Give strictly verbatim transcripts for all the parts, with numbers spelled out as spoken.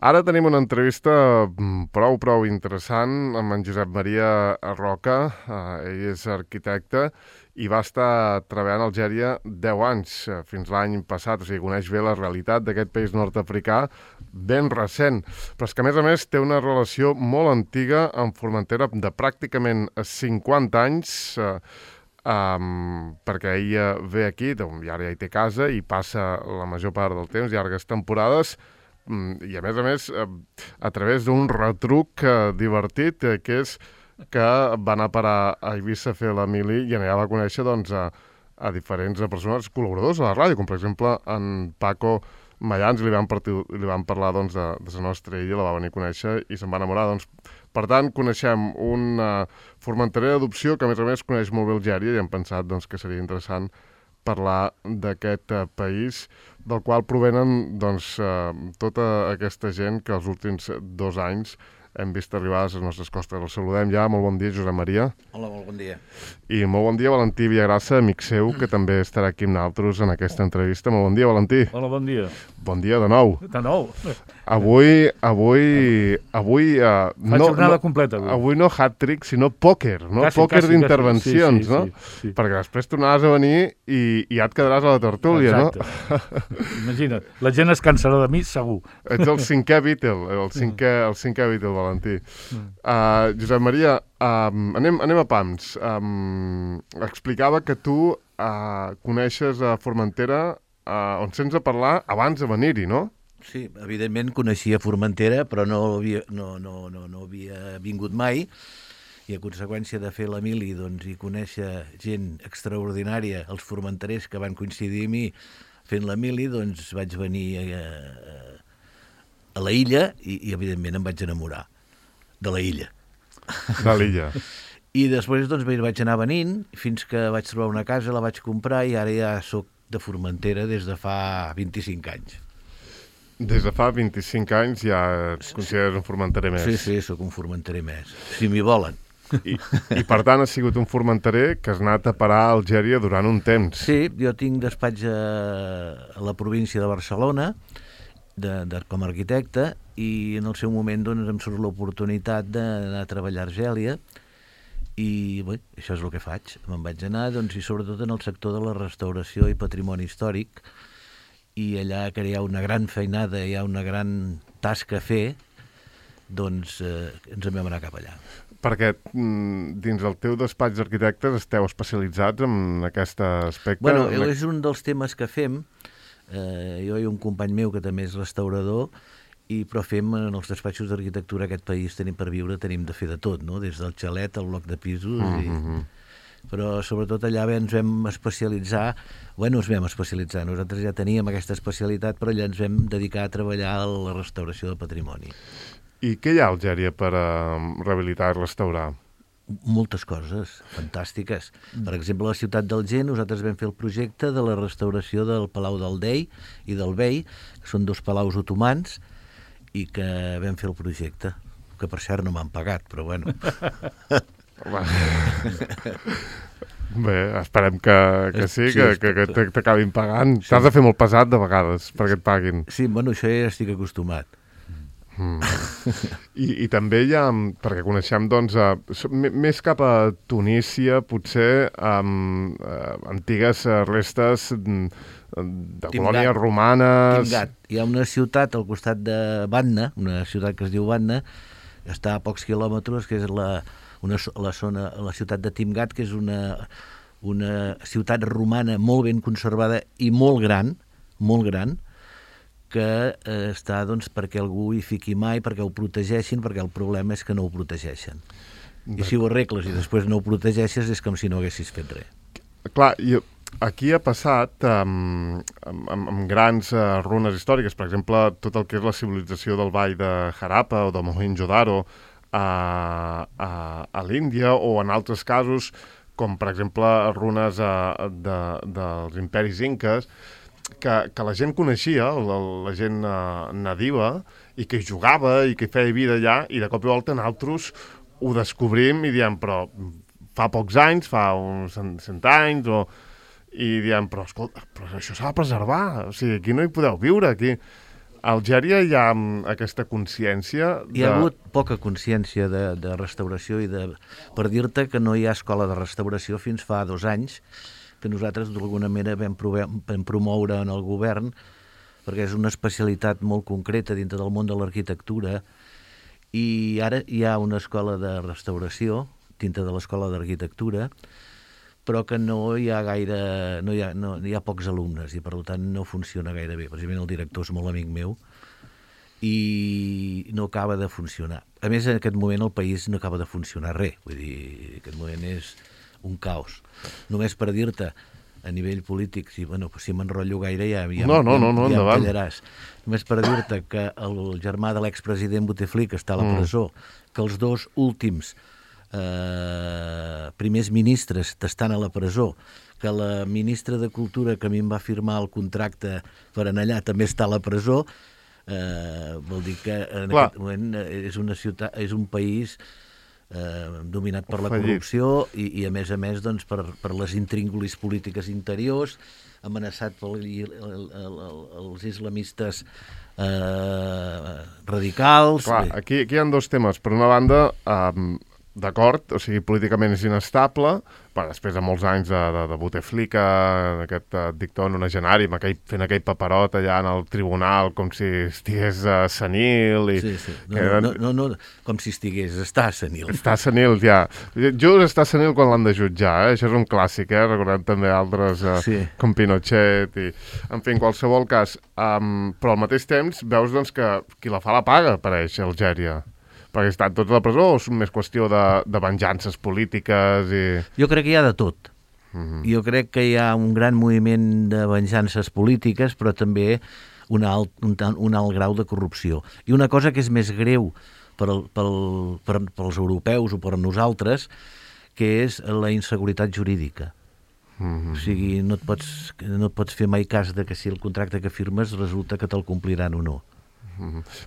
Ara tenim una entrevista prou, prou interessant amb en Josep Maria Roca. Uh, ell és arquitecte i va estar treballant a Algèria deu anys, uh, fins l'any passat. O sigui, coneix bé la realitat d'aquest país nord-africà, ben recent. Però és que, a més a més, té una relació molt antiga amb Formentera de pràcticament cinquanta anys, uh, um, perquè ella ve aquí, doncs, i ara ja hi té casa, i passa la major part del temps, llargues temporades, i a més a més a través d'un retruc divertit, que és que va anar a parar a Eivissa a fer la mili i allà va conèixer doncs, a, a diferents persones col·laboradors a la ràdio, com per exemple en Paco Mayans, li van, partir, li van parlar doncs, de, de la nostra illa, la va venir a conèixer i se'n va enamorar. Doncs, per tant, coneixem un uh, formenterer d'adopció que a més a més coneix molt bé Algèria i hem pensat doncs, que seria interessant parlar d'aquest uh, país del qual provenen doncs, uh, tota aquesta gent que els últims dos anys hem vist arribar a les nostres costes. El saludem ja. Molt bon dia, Josep Maria. Hola, molt bon dia. I molt bon dia, Valentí Villagrassa, amic seu, que també estarà aquí amb nosaltres en aquesta entrevista. Molt bon dia, Valentí. Hola, bon dia. Bon dia de nou. De nou. Avui, avui, avui... Uh, Fa no, jornada no, completa. Avui, avui no hat-trick, sinó pòquer, no? Quasi, Pòquer quasi, d'intervencions, quasi. Sí, sí, no? sí, sí. Perquè després tornaràs a venir i, i ja et quedaràs a la tertúlia, Exacte. No? Imagina't, la gent es cansarà de mi, segur. Ets el cinquè Beatle, el cinquè, el cinquè Beatle, Valentí. Uh, Josep Maria, um, anem, anem a pams. Um, explicava que tu uh, coneixes a Formentera, uh, on sents a parlar abans de venir-hi, no? Sí, evidentment coneixia Formentera, però no havia, no, no, no, no havia vingut mai, i a conseqüència de fer la mili doncs, i conèixer gent extraordinària, els formenterers que van coincidir amb mi fent la mili, doncs vaig venir a, a, a la illa i, i evidentment em vaig enamorar de la illa. De l'illa. I després doncs, vaig anar venint fins que vaig trobar una casa, la vaig comprar i ara ja soc de Formentera des de fa vint-i-cinc anys. Des de fa vint-i-cinc anys ja et consideres un formenterer més. Sí, sí, sóc un formenterer més, si m'hi volen. I, I per tant has sigut un formenterer que has anat a parar a Algèria durant un temps. Sí, jo tinc despatx a, a la província de Barcelona de, de, com a arquitecte, i en el seu moment doncs, em surt l'oportunitat d'anar a treballar a Argèlia i bé, això és el que faig. Me'n vaig anar doncs, i sobretot en el sector de la restauració i patrimoni històric, i allà que hi ha una gran feinada, hi ha una gran tasca a fer, doncs eh, ens en vam anar cap allà. Perquè dins el teu despatx d'arquitectes esteu especialitzats en aquest aspecte? Bueno, és un dels temes que fem. Eh, jo i un company meu que també és restaurador, i però fem en els despatxos d'arquitectura aquest país, tenim per viure, tenim de fer de tot, no? Des del xalet al bloc de pisos, i... Mm-hmm. però sobretot allà ens vam especialitzar, bueno, ens vam especialitzar, nosaltres ja teníem aquesta especialitat, però allà ens vam dedicar a treballar a la restauració del patrimoni. I què hi ha a Algèria per uh, rehabilitar i restaurar? Moltes coses fantàstiques. Per exemple, a la ciutat d'Alger nosaltres vam fer el projecte de la restauració del Palau del Dey i del Bey, que són dos palaus otomans, i que vam fer el projecte, que per cert no m'han pagat, però bueno. Bé, esperem que, que sí, Sí, que, que, que t'acabin pagant. Sí. T'has de fer molt pesat de vegades perquè et paguin. Sí, bueno, això ja estic acostumat. Mm. I, I també hi ha, perquè coneixem, doncs, a, més cap a Tunísia, potser, um, uh, antigues restes de Timgat. colònies romanes... Timgat. Hi ha una ciutat al costat de Batna, una ciutat que es diu Batna, està a pocs quilòmetres, que és la, una, la, zona, la ciutat de Timgat, que és una, una ciutat romana molt ben conservada i molt gran, molt gran, que eh, està doncs, perquè algú hi fiqui mai, perquè ho protegeixin, perquè el problema és que no ho protegeixen. I si ho arregles i després no ho protegeixes és com si no haguessis fet res. Clar, i aquí ha passat um, amb, amb, amb grans uh, runes històriques, per exemple, tot el que és la civilització del Vall de Harappa o de Mohenjo-Daro a, a, a l'Índia, o en altres casos, com per exemple runes uh, de, dels imperis inques, Que, que la gent coneixia, la, la gent uh, nadiua, i que hi jugava i que hi feia vida allà, i de cop i volta nosaltres ho descobrim i diem, però fa pocs anys, fa uns cent anys, o... i diem, però escolta, però això s'ha de preservar, o sigui, aquí no hi podeu viure, aquí... A Algèria hi ha aquesta consciència de... Hi ha hagut poca consciència de, de restauració i de... Per dir-te que no hi ha escola de restauració fins fa dos anys, que nosaltres d'alguna manera vam, provar, vam promoure en el govern, perquè és una especialitat molt concreta dintre del món de l'arquitectura, i ara hi ha una escola de restauració dintre de l'escola d'arquitectura, però que no hi ha gaire, no hi ha, no, hi ha pocs alumnes i per tant no funciona gaire bé. Precisament el director és molt amic meu i no acaba de funcionar. A més, en aquest moment el país no acaba de funcionar res, vull dir, en aquest moment és un caos. Només per dir-te, a nivell polític, si, bueno, si m'enrotllo gaire ja, ja, no, no, no, no, ja, ja em callaràs. Només per dir-te que el germà de l'expresident Bouteflika està a la presó, mm. que els dos últims Eh, primers ministres estan a la presó, que la ministra de Cultura que a mi em va firmar el contracte per anar allà també està a la presó, eh, vol dir que en Clar. aquest moment és una ciutat, és un país eh, dominat per la Fallit. corrupció i, i a més a més doncs, per, per les intríngulis polítiques interiors, amenaçat per els islamistes eh, radicals. Clar, aquí, aquí hi ha dos temes. Per una banda, eh, d'acord, o sigui, políticament és inestable, però després de molts anys de, de, de Bouteflika, aquest uh, dictador nonagenari, amb aquell, fent aquell paperot allà en el tribunal, com si estigués uh, senil. I sí, sí. No, eren... no, no, no, com si estigués, està senil. Està senil, ja. Just està senil quan l'han de jutjar, eh? Això és un clàssic, eh? Recordem també altres, uh, sí. com Pinochet, i... en fi, en qualsevol cas. Um, però al mateix temps veus doncs, que qui la fa la paga, apareix, a Algèria. Perquè estan tots a la presó o és més qüestió de, de venjances polítiques? I... Jo crec que hi ha de tot. Uh-huh. Jo crec que hi ha un gran moviment de venjances polítiques, però també un alt, un, un alt grau de corrupció. I una cosa que és més greu per, per, per, pels europeus o per nosaltres, que és la inseguretat jurídica. Uh-huh. O sigui, no et, pots, no et pots fer mai cas de que si el contracte que firmes resulta que te'l compliran o no.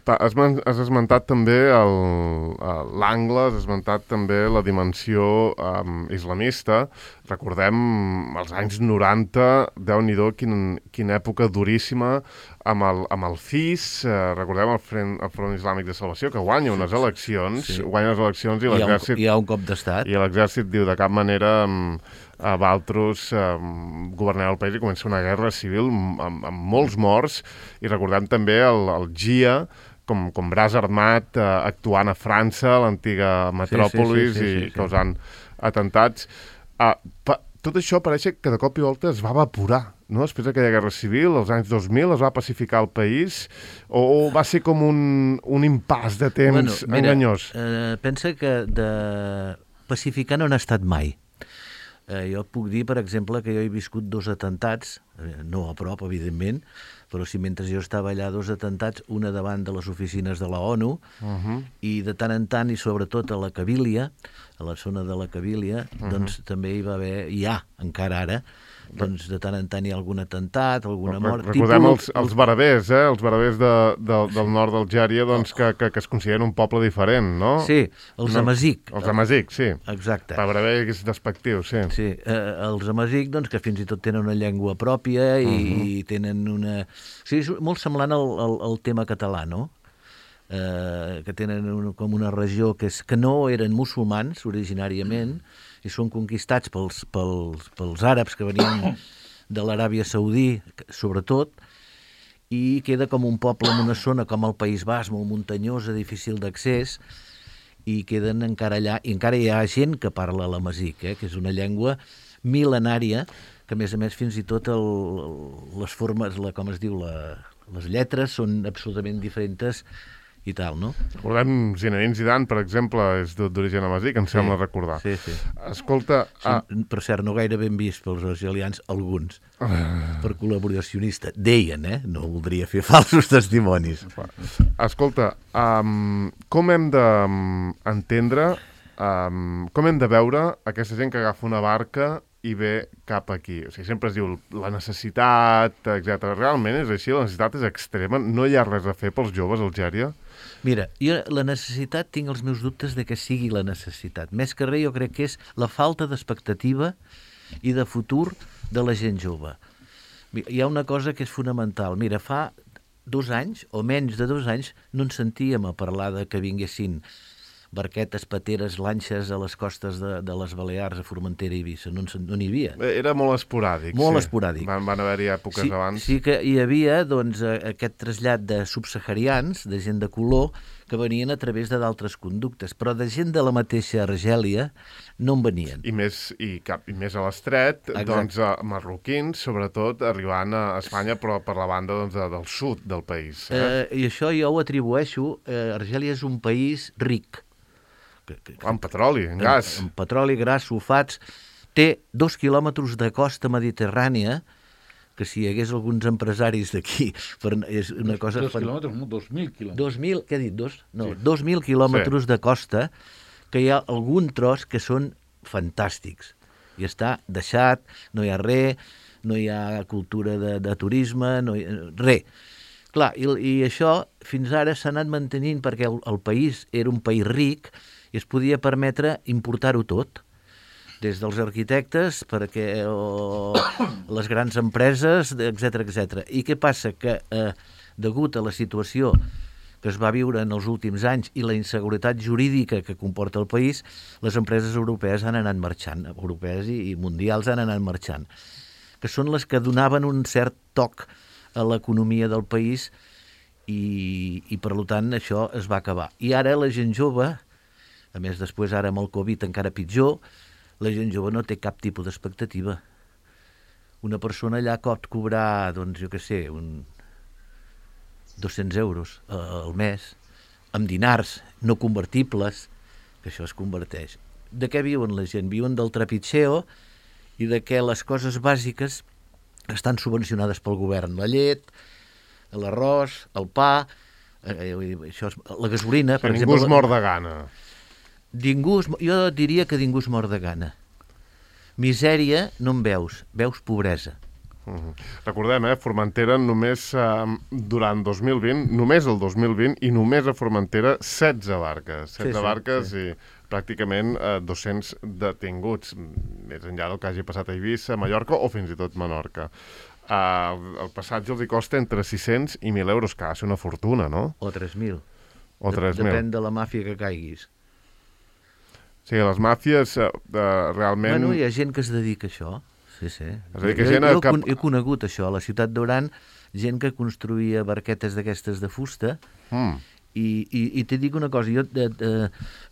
Pa, has, has esmentat també l'angle, has esmentat també la dimensió um, islamista. Recordem els anys noranta, Déu-n'hi-do, quin, quina època duríssima amb el, amb el C I S, eh, recordem el Front, el Front Islàmic de Salvació, que guanya unes eleccions, sí. guanya les eleccions i l'exèrcit... Hi ha un cop d'estat. I l'exèrcit diu de cap manera... Um, a Valtros eh, governar el país i comença una guerra civil amb, amb molts morts, i recordem també el, el G I A com, com braç armat eh, actuant a França, l'antiga metròpolis, sí, sí, sí, sí, sí, i causant sí. atentats. Uh, pa, tot això pareix que de cop i volta es va evaporar, no? Després d'aquella guerra civil, als anys dos mil, es va pacificar el país, o, o va ser com un, un impàs de temps bueno, mira, enganyós? Eh, pensa que de pacificar no n'ha estat mai. Eh, jo et puc dir, per exemple, que jo he viscut dos atentats, eh, no a prop, evidentment, però si mentre jo estava allà dos atentats, una davant de les oficines de la ONU, uh-huh. i de tant en tant, i sobretot a la Cabília, a la zona de la Cabília, uh-huh. doncs també hi va haver, hi ha, encara ara, doncs de tant en tant hi ha algun atemptat, alguna mort... Recordem tipus... els, els berbers, eh? Els berbers de, de, del nord d'Algèria, doncs, que, que, que es consideren un poble diferent, no? Sí, els no? Amazic. Els Amazic, sí. Exacte. Per berber és despectiu, sí. Sí, eh, els Amazic, doncs, que fins i tot tenen una llengua pròpia i, uh-huh. i tenen una... O sigui, és molt semblant al, al, al tema català, no? Eh, que tenen un, com una regió que, és, que no eren musulmans originàriament, i són conquistats pels, pels, pels àrabs que venien de l'Aràbia Saudí, sobretot, i queda com un poble en una zona com el País Basc, molt muntanyosa, difícil d'accés, i queden encara allà, i encara hi ha gent que parla l'amazic, eh, que és una llengua mil·lenària, que a més a més fins i tot el, les formes, la, com es diu, la, les lletres són absolutament diferents i tal, no? Recordem Zinedine Zidane, per exemple, és d'origen amazic, em sí, sembla recordar. Sí, sí. Escolta... Ah... Per cert, no gaire ben vist pels argelians, alguns, ah. per col·laboracionista. Deien, eh? No voldria fer falsos testimonis. Escolta, um, com hem d'entendre, um, com hem de veure aquesta gent que agafa una barca i ve cap aquí? O sigui, sempre es diu la necessitat, etcètera. Realment és així? La necessitat és extrema? No hi ha res a fer pels joves a Algèria? Mira, jo la necessitat, tinc els meus dubtes de que sigui la necessitat. Més que res, jo crec que és la falta d'expectativa i de futur de la gent jove. Hi ha una cosa que és fonamental. Mira, fa dos anys, o menys de dos anys, no ens sentíem a parlar de que vinguessin barquetes, pateres, lanxes a les costes de, de les Balears, a Formentera i Eivissa. No n'hi havia. Era molt esporàdic. Molt sí. esporàdic. Van, van haver-hi èpoques sí, abans. Sí que hi havia doncs, aquest trasllat de subsaharians, de gent de color, que venien a través de d'altres conductes, però de gent de la mateixa Argèlia no en venien. I més, i cap, i més a l'estret, doncs, a marroquins, sobretot, arribant a Espanya, però per la banda doncs, del sud del país. Eh? Eh, I això jo ho atribueixo. Eh, Argèlia és un país ric. Que, que, en petroli, en gas. En, en petroli, gas, sulfats. Té dos quilòmetres de costa mediterrània, que si hi hagués alguns empresaris d'aquí, és una cosa... Dos quilòmetres, no, dos mil quilòmetres. Dos mil, què he dit, dos? No, sí. dos mil quilòmetres sí. de costa, que hi ha algun tros que són fantàstics. I està deixat, no hi ha res, no hi ha cultura de, de turisme, no hi ha res. Clar, i, i això fins ara s'ha anat mantenint perquè el, el país era un país ric i es podia permetre importar-ho tot, des dels arquitectes perquè o les grans empreses, etcètera, etcètera. I què passa? Que eh, degut a la situació que es va viure en els últims anys i la inseguretat jurídica que comporta el país, les empreses europees han anat marxant, europees i, i mundials han anat marxant, que són les que donaven un cert toc a l'economia del país i, i per tant això es va acabar. I ara la gent jove, a més després ara amb el Covid encara pitjor, la gent jove no té cap tipus d'expectativa. Una persona allà pot cobrar, doncs jo què sé, un dos-cents euros al mes, amb dinars no convertibles, que això es converteix. De què viuen la gent? Viuen del trepitxeo i de què les coses bàsiques estan subvencionades pel govern. La llet, l'arròs, el pa, eh, això és, la gasolina... Per ningú es mor de gana. Ningú, jo diria que ningú es mor de gana. Misèria no en veus, veus pobresa. Uh-huh. Recordem, eh, Formentera només eh, durant dos mil vint, només el dos mil vint, i només a Formentera setze barques. setze sí, sí, barques sí. I pràcticament eh, dos-cents detinguts, més enllà del que hagi passat a Eivissa, Mallorca o fins i tot Menorca. Uh, el passatge els hi costa entre sis-cents i mil euros, que ha de ser una fortuna, no? O tres mil. O tres mil. Depèn de la màfia que caiguis. Sí, les màfies uh, realment... Bueno, hi ha gent que es dedica a això. Sí, sí. És a dir, que jo, gent jo cap... he conegut això a la ciutat d'Oran, gent que construïa barquetes d'aquestes de fusta, mm. i, i, i t'he dit una cosa, jo de, de,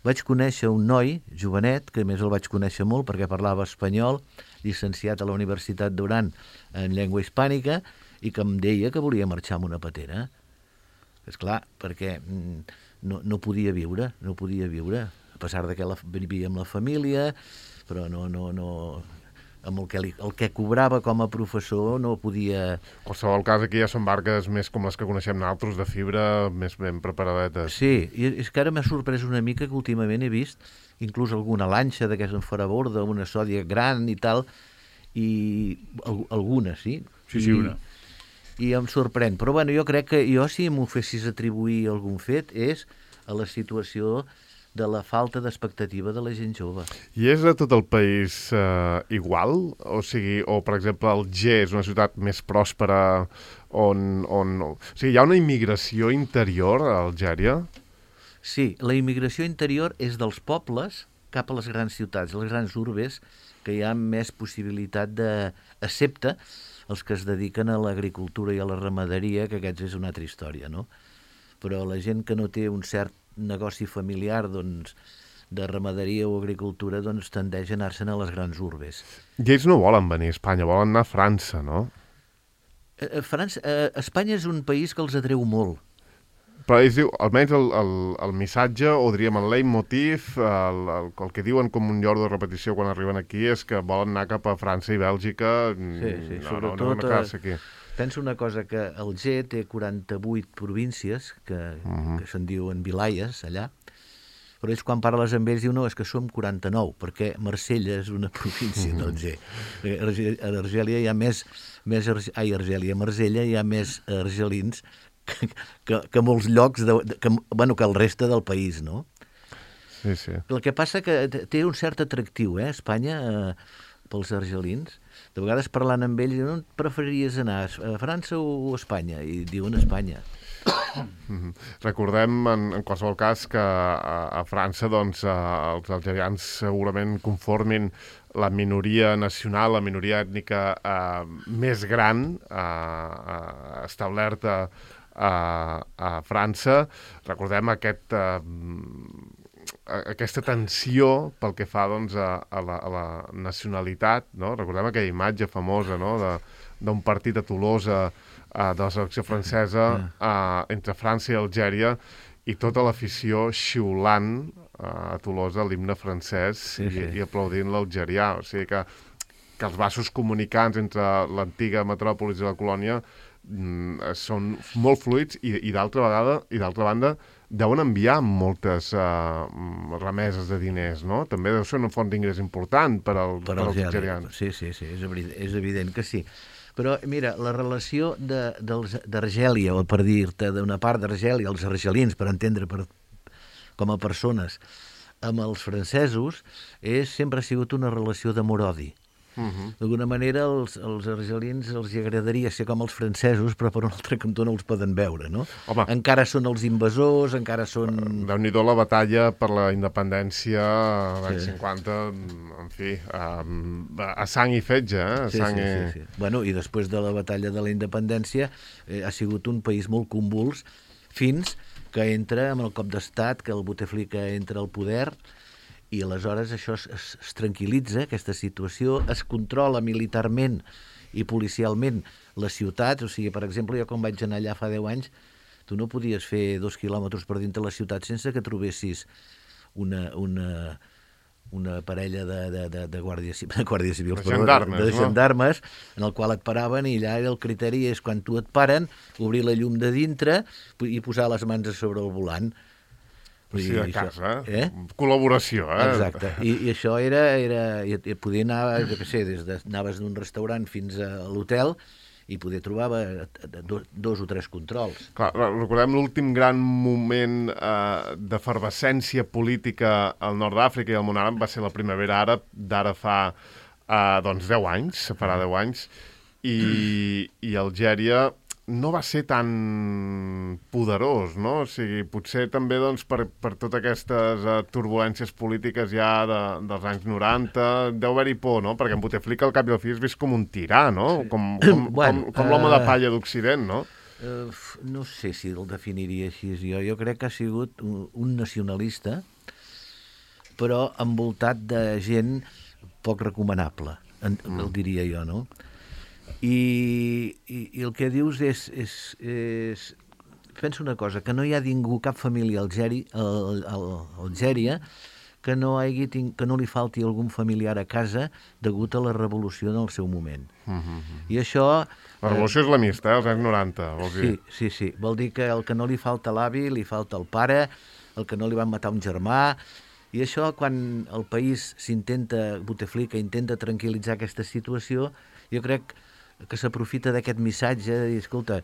vaig conèixer un noi, jovenet, que a més el vaig conèixer molt perquè parlava espanyol, llicenciat a la Universitat d'Oran en llengua hispànica, i que em deia que volia marxar amb una patera. És clar, perquè no, no podia viure, no podia viure, a pesar de que la, vivia amb la família, però no, no, no, amb el que, li, el que cobrava com a professor no podia... En qualsevol cas, aquí ja són barques més com les que coneixem nosaltres, de fibra, més ben preparadetes. Sí, i és que ara m'ha sorprès una mica que últimament he vist inclús alguna lanxa d'aquesta en fora borda, una sòdia gran i tal, i alguna, sí? Sí, sí, una. I, i em sorprèn. Però bueno, jo crec que jo, si m'ho fessis atribuir algun fet, és a la situació de la falta d'expectativa de la gent jove. I és a tot el país eh, igual? O sigui, o per exemple, Alger és una ciutat més pròspera on, on... O sigui, hi ha una immigració interior a Algèria? Sí, la immigració interior és dels pobles cap a les grans ciutats, les grans urbes, que hi ha més possibilitat de... excepte els que es dediquen a l'agricultura i a la ramaderia, que aquests és una altra història, no? Però la gent que no té un cert negoci familiar, doncs, de ramaderia o agricultura, doncs tendeix a anar-se'n a les grans urbes. I ells no volen venir a Espanya, volen anar a França, no? Eh, França, eh, Espanya és un país que els atreu molt. Però ells diu, almenys el, el, el missatge, o diríem el leitmotiv, el, el, el que diuen com un llor de repetició quan arriben aquí, és que volen anar cap a França i Bèlgica. Sí, sí, no, sobretot... no, no, no aquí. Penso una cosa, que Alger té quaranta-vuit províncies, que, uh-huh. que se'n diuen vilayes, allà, però ells quan parles amb ells diuen no, és que som quaranta-nou, perquè Marsella és una província uh-huh. d'Alger. A Argèlia hi ha més, més ai, Argèlia, a Marsella hi ha més argelins que, que, que molts llocs, de, que, bueno, que el reste del país, no? Sí, sí. El que passa que té un cert atractiu, eh, Espanya... Eh, pels argelins, de vegades parlant amb ells, on preferiries anar, a França o a Espanya? I diuen Espanya. Mm-hmm. Recordem, en, en qualsevol cas, que a, a França doncs, a, els algerians segurament conformin la minoria nacional, la minoria ètnica eh, més gran eh, eh, establerta a, a França. Recordem aquest... Eh, aquesta tensió pel que fa doncs, a, a, la, a la nacionalitat, no? Recordem aquella imatge famosa, no? d'un partit a Tolosa uh, de la selecció francesa uh, entre França i Algèria, i tota l'afició xiulant uh, a Tolosa l'himne francès sí, sí. I, i aplaudint l'algerià. O sigui que, que els vasos comunicants entre l'antiga metròpolis i la colònia mm, són molt fluids i, i d'altra vegada i d'altra banda deuen enviar moltes uh, remeses de diners, no? També deu ser una font d'ingrés important per, al, per, per als algerians. Sí, sí, sí, és evident, és evident que sí. Però, mira, la relació d'Argèlia, o per dir-te d'una part d'Argèlia, els argelins, per entendre per, com a persones, amb els francesos, és, sempre ha sigut una relació d'amor-odi. Uh-huh. D'alguna manera, els, els argelins els agradaria ser com els francesos, però per un altre cantó no els poden veure, no? Home. Encara són els invasors, encara són... Déu-n'hi-do la batalla per la independència l'any sí. cinquanta, en fi, a, a sang i fetge, eh? A sí, sang sí, i... sí, sí. Bueno, i després de la batalla de la independència eh, ha sigut un país molt convuls fins que entra amb el cop d'estat, que el Bouteflika entra al poder, i aleshores això es, es, es tranquil·litza, aquesta situació, es controla militarment i policialment les ciutats. O sigui, per exemple, jo quan vaig anar allà fa deu anys, tu no podies fer dos quilòmetres per dintre la ciutat sense que trobessis una, una, una parella de, de, de, de guàrdies de guàrdies civils, de gendarmes, de, de gendarmes no? En el qual et paraven, i allà el criteri és quan tu et paren, obrir la llum de dintre i posar les mans a sobre el volant. Sí, de casa, eh? Col·laboració, eh? Exacte, I, i això era, era i, i podia anar, jo què sé, des de, anaves d'un restaurant fins a l'hotel i poder trobar dos, dos o tres controls. Clar, recordem l'últim gran moment eh, d'efervescència política al nord d'Àfrica i al món àrab va ser la primavera àrab d'ara fa eh, doncs deu anys, farà deu anys, i, i Algèria no va ser tan poderós, no? O sigui, potser també doncs, per, per totes aquestes uh, turbulències polítiques ja de, dels anys noranta, deu haver-hi por, no? Perquè en Bouteflika al cap i al fi és vist com un tirà, no? Sí. Com, com, bueno, com, com uh, l'home de palla d'Occident, no? Uh, no sé si el definiria així jo. Jo crec que ha sigut un, un nacionalista, però envoltat de gent poc recomanable, en, mm. el diria jo, no? I, i, i el que dius és, és, és... Pensa una cosa, que no hi ha ningú, cap família a Algèria, que no, hagi, que no li falti algun familiar a casa degut a la revolució en el seu moment. Uh-huh. I això... La revolució eh, islamista, eh, als anys noranta, vols dir? Sí, sí, sí. Vol dir que el que no li falta l'avi, li falta el pare, el que no li van matar un germà. I això, quan el país s'intenta, Bouteflika intenta tranquil·litzar aquesta situació, jo crec que s'aprofita d'aquest missatge de dir, escolta,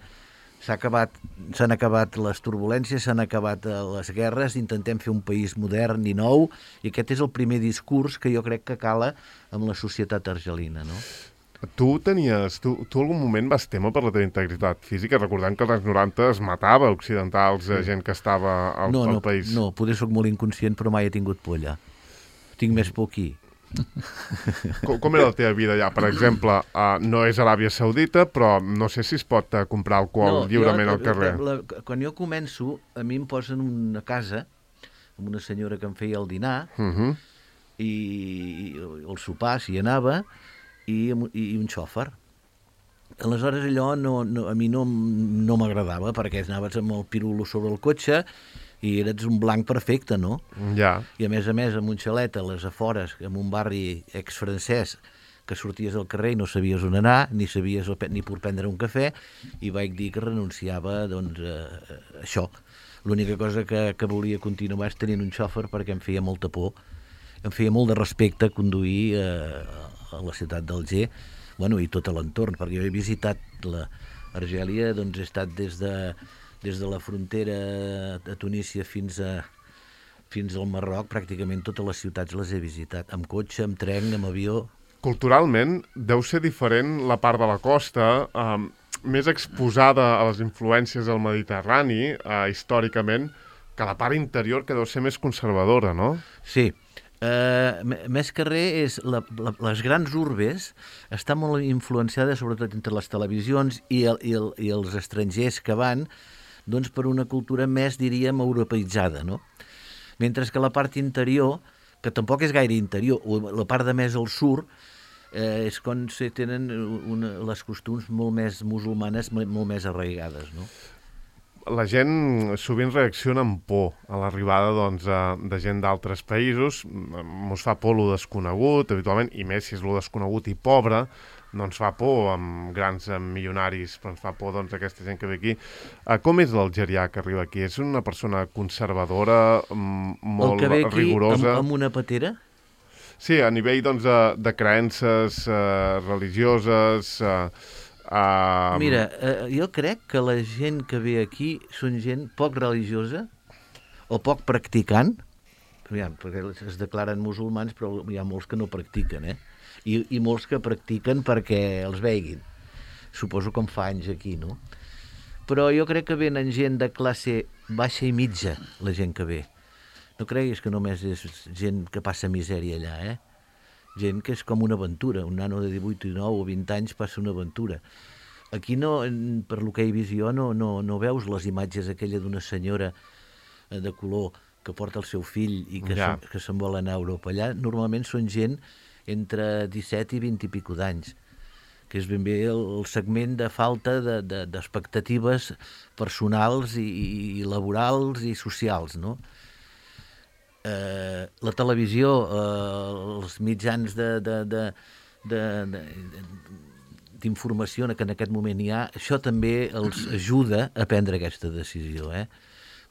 s'ha acabat, s'han acabat les turbulències, s'han acabat les guerres, intentem fer un país modern i nou, i aquest és el primer discurs que jo crec que cala amb la societat argelina, no? Tu tenies, tu, tu algun moment vas témer per la teva integritat física, recordant que als anys noranta es matava occidentals, sí. gent que estava al, no, al no, país. No, potser soc molt inconscient, però mai he tingut por allà. Tinc més por aquí. Com, com era la teva vida allà? Per exemple, uh, no és Aràbia Saudita, però no sé si es pot uh, comprar alcohol no, lliurement jo, al carrer. La, la, quan jo començo, a mi em posen una casa amb una senyora que em feia el dinar, uh-huh. i, i el sopar, si hi anava, i, i un xòfer. Aleshores allò no, no, a mi no, no m'agradava, perquè anaves amb el pirulo sobre el cotxe i eres un blanc perfecte, no? Ja. I a més a més, amb un xalet a les afores, en un barri ex-francès, que sorties al carrer i no sabies on anar, ni sabies ni per prendre un cafè, i vaig dir que renunciava doncs, a, a això. L'única cosa que, que volia continuar és tenint un xòfer perquè em feia molta por, em feia molt de respecte conduir a, a la ciutat d'Alger, bueno, i tot l'entorn, perquè jo he visitat l'Argèlia, doncs he estat des de des de la frontera de Tunísia fins a fins al Marroc, pràcticament totes les ciutats les he visitat, amb cotxe, amb tren, amb avió. culturalment deu ser diferent la part de la costa, eh, més exposada a les influències del Mediterrani, eh, històricament, que la part interior, que deu ser més conservadora, no? Sí. Uh, més que res, és la, la, les grans urbes estan molt influenciades, sobretot entre les televisions i, el, i, el, i els estrangers que van, doncs per una cultura més, diríem, europeïtzada, no? Mentre que la part interior, que tampoc és gaire interior, o la part de més al sud, eh, és quan se tenen una, les costums molt més musulmanes, molt més arraigades, no? La gent sovint reacciona amb por a l'arribada doncs, de gent d'altres països. Mos fa por lo desconegut, habitualment, i més si és lo desconegut i pobre, no ens fa por amb grans milionaris, però ens fa por doncs, aquesta gent que ve aquí. Com és l'algerià que arriba aquí? És una persona conservadora, molt el que ve aquí rigorosa? Amb, amb una patera? Sí, a nivell doncs, de, de creences eh, religioses... Eh, Uh... Mira, eh, jo crec que la gent que ve aquí són gent poc religiosa o poc practicant, aviam, perquè es declaren musulmans, però hi ha molts que no practiquen, eh? I, i molts que practiquen perquè els veguin. Suposo com fa anys aquí, no? Però jo crec que venen gent de classe baixa i mitja, la gent que ve. No creguis que només és gent que passa misèria allà, eh? Gent que és com una aventura, un nano de divuit, dinou o vint anys passa una aventura. Aquí, no, per lo que he vist jo, no, no, no veus les imatges aquella d'una senyora de color que porta el seu fill i que, ja. se, que se'n vol anar a Europa. Allà normalment són gent entre disset i vint i pico d'anys, que és ben bé el, el segment de falta de, de, d'expectatives personals i, i laborals i socials, no? Eh, la televisió, eh, els mitjans de, de, de, de, de, d'informació que en aquest moment hi ha, això també els ajuda a prendre aquesta decisió, eh?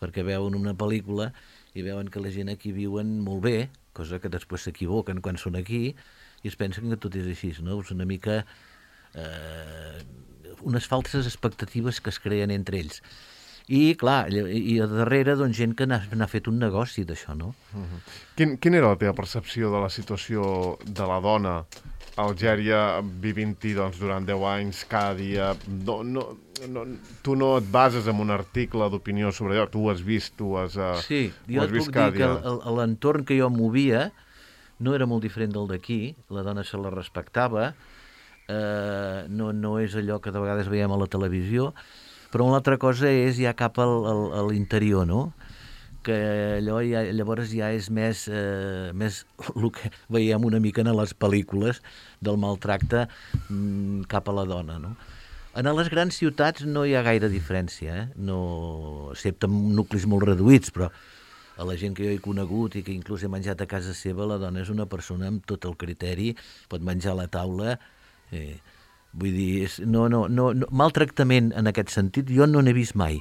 Perquè veuen una pel·lícula i veuen que la gent aquí viuen molt bé, cosa que després s'equivoquen quan són aquí, i es pensen que tot és així, no? És una mica eh, unes falses expectatives que es creen entre ells. I, clar, i a darrere, doncs, gent que n'ha, n'ha fet un negoci d'això, no? Uh-huh. Quin, quin era la teva percepció de la situació de la dona a Algèria vivint-hi doncs, durant deu anys, cada dia? No, no, no, tu no et bases en un article d'opinió sobre allò, tu ho has vist, tu has, uh, sí, ho has vist Sí, jo et puc cada dir dia. que l'entorn que jo movia no era molt diferent del d'aquí, la dona se la respectava, eh, no, no és allò que de vegades veiem a la televisió, però una altra cosa és ja cap al, al, a l'interior, no? Que allò ja, llavors ja és més, eh, més el que veiem una mica en les pel·lícules del maltracte mm, cap a la dona, no? En les grans ciutats no hi ha gaire diferència, eh? No, excepte en nuclis molt reduïts, però a la gent que jo he conegut i que inclús he menjat a casa seva, la dona és una persona amb tot el criteri, pot menjar a la taula... Eh, Vull dir, no, no, no, no, maltractament en aquest sentit jo no n'he vist mai.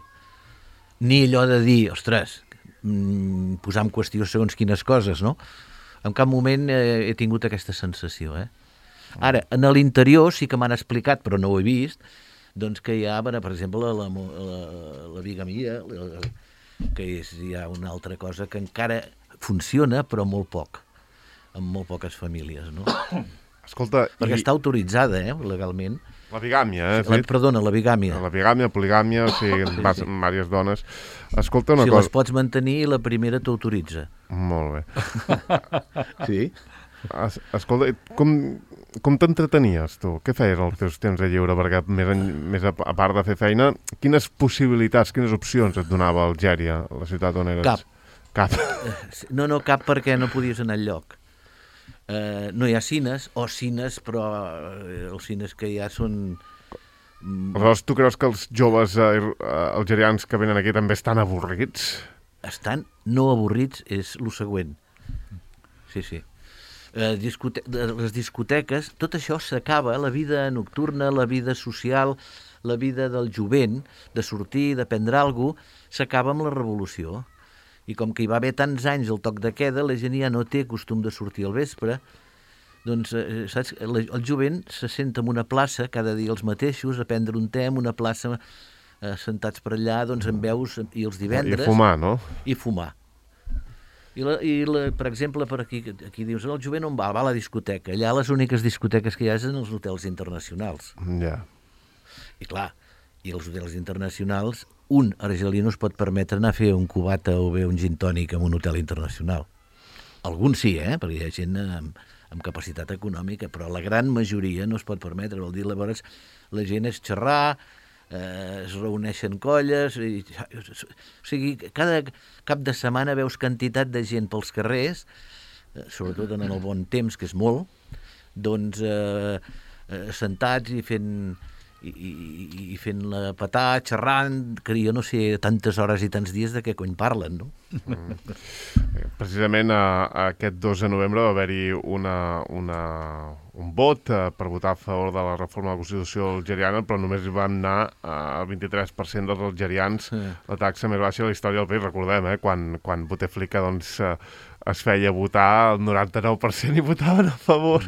Ni allò de dir, ostres, mm, posar en qüestió segons quines coses, no? En cap moment eh, he tingut aquesta sensació, eh? Ara, en l'interior sí que m'han explicat, però no ho he vist, doncs que hi ha, per exemple, la, la, la bigamia, la, que és ja una altra cosa que encara funciona, però molt poc, en molt poques famílies, no? Escolta, perquè i... està autoritzada, eh, legalment. La bigàmia, eh? La, perdona, la bigàmia. La bigàmia, poligàmia, o sigui, sí, vas sí. amb diverses dones. Escolta una si cosa... Si les pots mantenir, la primera t'autoritza. Molt bé. Sí? Es, escolta, com, com t'entretenies, tu? Què feies als teus temps de lliure? Perquè més, en, més a, a part de fer feina, quines possibilitats, quines opcions et donava Algèria, la ciutat on eres? Cap. Cap. No, no, cap perquè no podies anar enlloc. Uh, no hi ha cines, o cines, però uh, els cines que hi ha són... Aleshores, tu creus que els joves uh, algerians que venen aquí també estan avorrits? Estan no avorrits, és el següent. Sí, sí. Uh, discote les discoteques, tot això s'acaba, la vida nocturna, la vida social, la vida del jovent, de sortir, de prendre alguna cosa, s'acaba amb la revolució. I com que hi va haver tants anys el toc de queda, la gent ja no té costum de sortir al vespre, doncs, eh, saps, el, el jovent se senta en una plaça, cada dia els mateixos, a prendre un te en una plaça, eh, sentats per allà, doncs en veus, i els divendres... I fumar, no? I fumar. I, la, i la, per exemple, per aquí, aquí dius, el jovent on va? Va a la discoteca. Allà les úniques discoteques que hi ha és en els hotels internacionals. Ja. Yeah. I clar, i els hotels internacionals, un argelí no es pot permetre anar a fer un cubata o bé un gin tònic en un hotel internacional. Alguns sí, eh? Perquè hi ha gent amb, amb capacitat econòmica, però la gran majoria no es pot permetre. Vol dir, llavors, la gent és xerrar, eh, es reuneixen colles, i, o sigui, cada cap de setmana veus quantitat de gent pels carrers, eh, sobretot en el bon temps, que és molt, doncs eh, eh, sentats i fent... I, i, i fent la patà, xerrant, que jo no sé tantes hores i tants dies de què cony parlen, no? Mm. Precisament a, a aquest dos de novembre va haver-hi una, una, un vot eh, per votar a favor de la reforma de la Constitució algeriana, però només hi van anar al vint-i-tres per cent dels algerians, sí. La taxa més baixa de la història del país, recordem, eh, quan, quan Bouteflika doncs, eh, es feia votar, el noranta-nou per cent hi votaven a favor.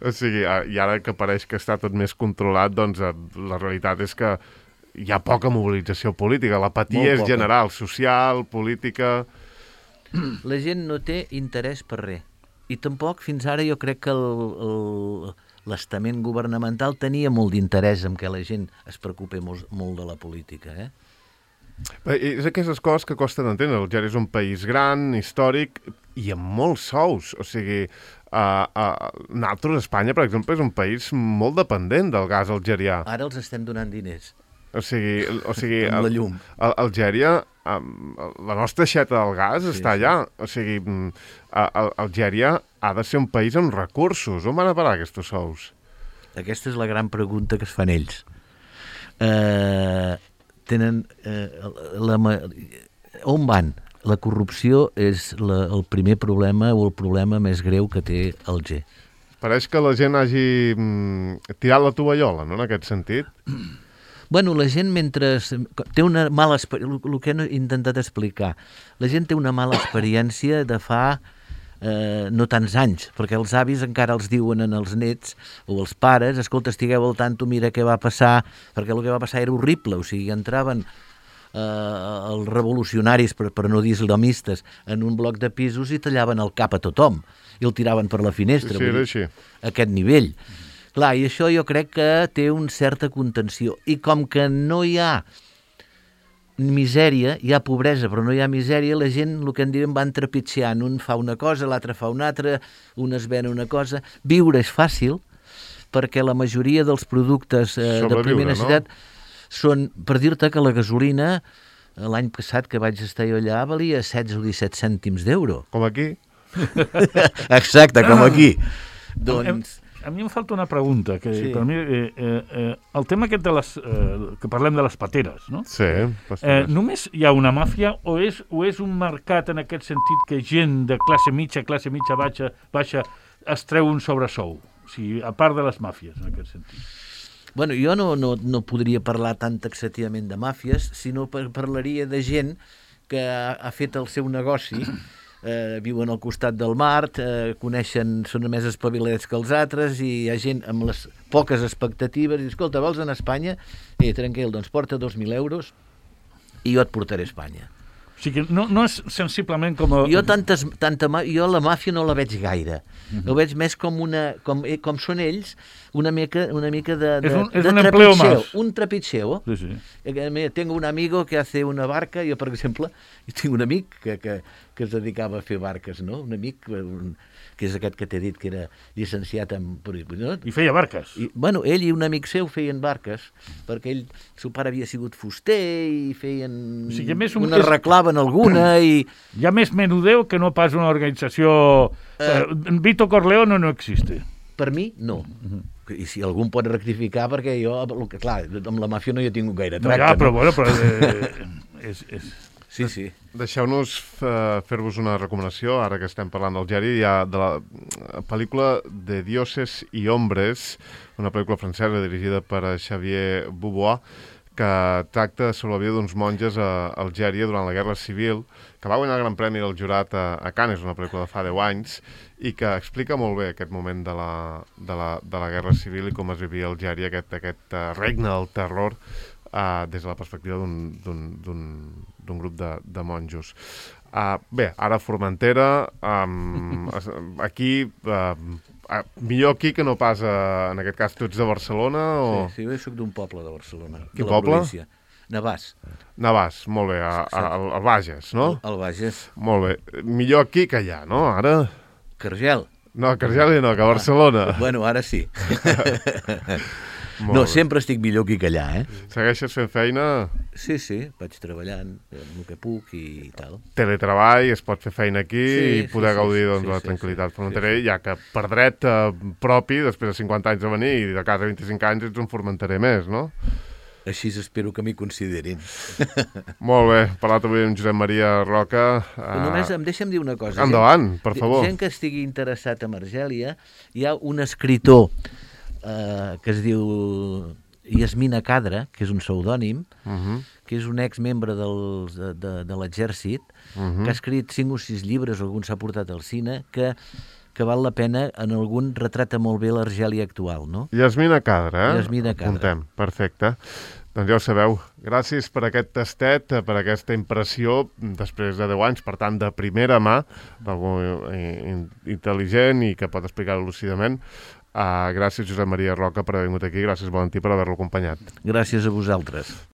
O sigui, i ara que pareix que està tot més controlat, doncs la realitat és que hi ha poca mobilització política. L'apatia és general, social, política... La gent no té interès per res. I tampoc, fins ara, jo crec que l'estament governamental tenia molt d'interès en què la gent es preocupi molt, molt de la política, eh? És aquestes coses que costen d'entendre. Algèria és un país gran, històric i amb molts sous. O sigui, uh, uh, nosaltres, Espanya, per exemple, és un país molt dependent del gas algerià. Ara els estem donant diners. O sigui, o sigui amb la llum. Al, Algèria, um, la nostra aixeta del gas sí, està allà. Sí. O sigui, uh, Algèria ha de ser un país amb recursos. On van a parar aquests sous? Aquesta és la gran pregunta que es fan ells. Eh... Uh... tenen eh, la, on van? La corrupció és la, el primer problema o el problema més greu que té Alger. Pareix que la gent hagi mm, tirat la tovallola, no?, en aquest sentit. Bueno, la gent mentre... té una mala experiència, el que he intentat explicar, la gent té una mala experiència de fa eh, no tants anys, perquè els avis encara els diuen en els nets o els pares, escolta, estigueu al tanto, mira què va passar, perquè el que va passar era horrible, o sigui, entraven eh, els revolucionaris, per, per no dir islamistes, en un bloc de pisos i tallaven el cap a tothom, i el tiraven per la finestra. Sí, era així. A aquest nivell. Clar, i això jo crec que té una certa contenció, i com que no hi ha misèria, hi ha pobresa, però no hi ha misèria, la gent, el que en diuen, van trepitjant. Un fa una cosa, l'altre fa una altra, un es ven una cosa. Viure és fàcil, perquè la majoria dels productes eh, de primera necessitat, no? Són, per dir-te que la gasolina, l'any passat que vaig estar jo allà, valia setze o disset cèntims d'euro. Com aquí? Exacte, com aquí. Doncs... A mi em falta una pregunta, que sí. Per mi, eh, eh, el tema aquest de les, eh, que parlem de les pateres, no? Sí. Eh, només hi ha una màfia o és, o és un mercat en aquest sentit que gent de classe mitja, classe mitja baixa, baixa es treu un sobresou? O sigui, a part de les màfies, en aquest sentit. Bueno, jo no, no, no podria parlar tan taxativament de màfies, sinó par parlaria de gent que ha, ha fet el seu negoci, eh, viuen al costat del mar, eh, coneixen, són més espavilats que els altres, i hi ha gent amb les poques expectatives, i escolta, vols anar a Espanya? Eh, tranquil, doncs porta dos mil euros i jo et portaré a Espanya. O sigui, no, no és sensiblement com... A... Jo, tantes, tanta, jo la màfia no la veig gaire. Uh-huh. Ho veig més com, una, com, com són ells, una mica, una mica de, de, és un, és de un empleo más. Un trapicheo. Sí, sí. Tengo un amigo que hace una barca, jo, per exemple, tinc un amic que, que, que es dedicava a fer barques, no? Un amic, un, que és aquest que t'he dit, que era llicenciat en... No? I feia barques. I, bueno, ell i un amic seu feien barques, perquè ell, el seu pare havia sigut fuster i feien... O sigui, més un... una reclaven alguna i... Hi ha més menudeu que no pas una organització... Uh, Vito Corleone no existe. Per mi, no. Uh-huh. I si algú em pot rectificar, perquè jo, clar, amb la màfia no hi he tingut gaire tracte. No, ja, però no? bueno, però... Eh, és, és... Sí, sí. Deixeu-nos uh, fer-vos una recomanació, ara que estem parlant d'Algèria, hi ha de la pel·lícula de Dioses i Hombres, una pel·lícula francesa dirigida per Xavier Beauvoir, que tracta sobre la vida d'uns monges a Algèria durant la Guerra Civil, que va guanyar el Gran Premi del Jurat a, a Cannes, una pel·lícula de fa deu anys, i que explica molt bé aquest moment de la, de la, de la Guerra Civil i com es vivia a Algèria, aquest, aquest uh, regne del terror, Uh, des de la perspectiva d'un grup de, de monjos. Uh, bé, ara a Formentera, um, aquí, uh, uh, millor aquí que no pas, uh, en aquest cas, tu ets de Barcelona o... Sí, sí, jo soc d'un poble de Barcelona. Quin de la poble? Província. Navàs. Navàs, molt bé, a, a, al, al Bages, no? Al Bages. Molt bé. Millor aquí que allà, no? Ara... Cargel. No, a Cargel no, que a Barcelona. Bueno, ara sí. Molt No, bé. sempre estic millor aquí que allà, eh? Segueixes fent feina? Sí, sí, vaig treballant amb el que puc i tal. Teletreball, es pot fer feina aquí Sí, i sí, poder sí, gaudir sí, doncs, sí, de la sí, tranquil·litat sí, fronterer, sí, sí. ja que per dret eh, propi, després de cinquanta anys de venir i de casa vint-i-cinc anys, ets un formenterer més, no? Així espero que m'hi considerin. Molt bé, parlat avui amb Josep Maria Roca. Uh... Només em deixa'm dir una cosa. Endavant, gent, per favor. Gent que estigui interessat en Argèlia, hi ha un escriptor eh, que es diu Yasmina Kadra, que és un pseudònim, Uh -huh. que és un exmembre dels, de, de, de l'exèrcit, Uh -huh. que ha escrit cinc o sis llibres, algun s'ha portat al cine, que, que val la pena, en algun retrata molt bé l'Argèlia actual, no? Yasmina Kadra, eh? Yasmina Kadra. Apuntem, perfecte. Doncs ja ho sabeu. Gràcies per aquest tastet, per aquesta impressió, després de deu anys, per tant, de primera mà, d'algú in- intel·ligent i que pot explicar-ho lúcidament. Uh, gràcies, Josep Maria Roca, per haver vingut aquí. Gràcies, Valentí, per haver-lo acompanyat. Gràcies a vosaltres.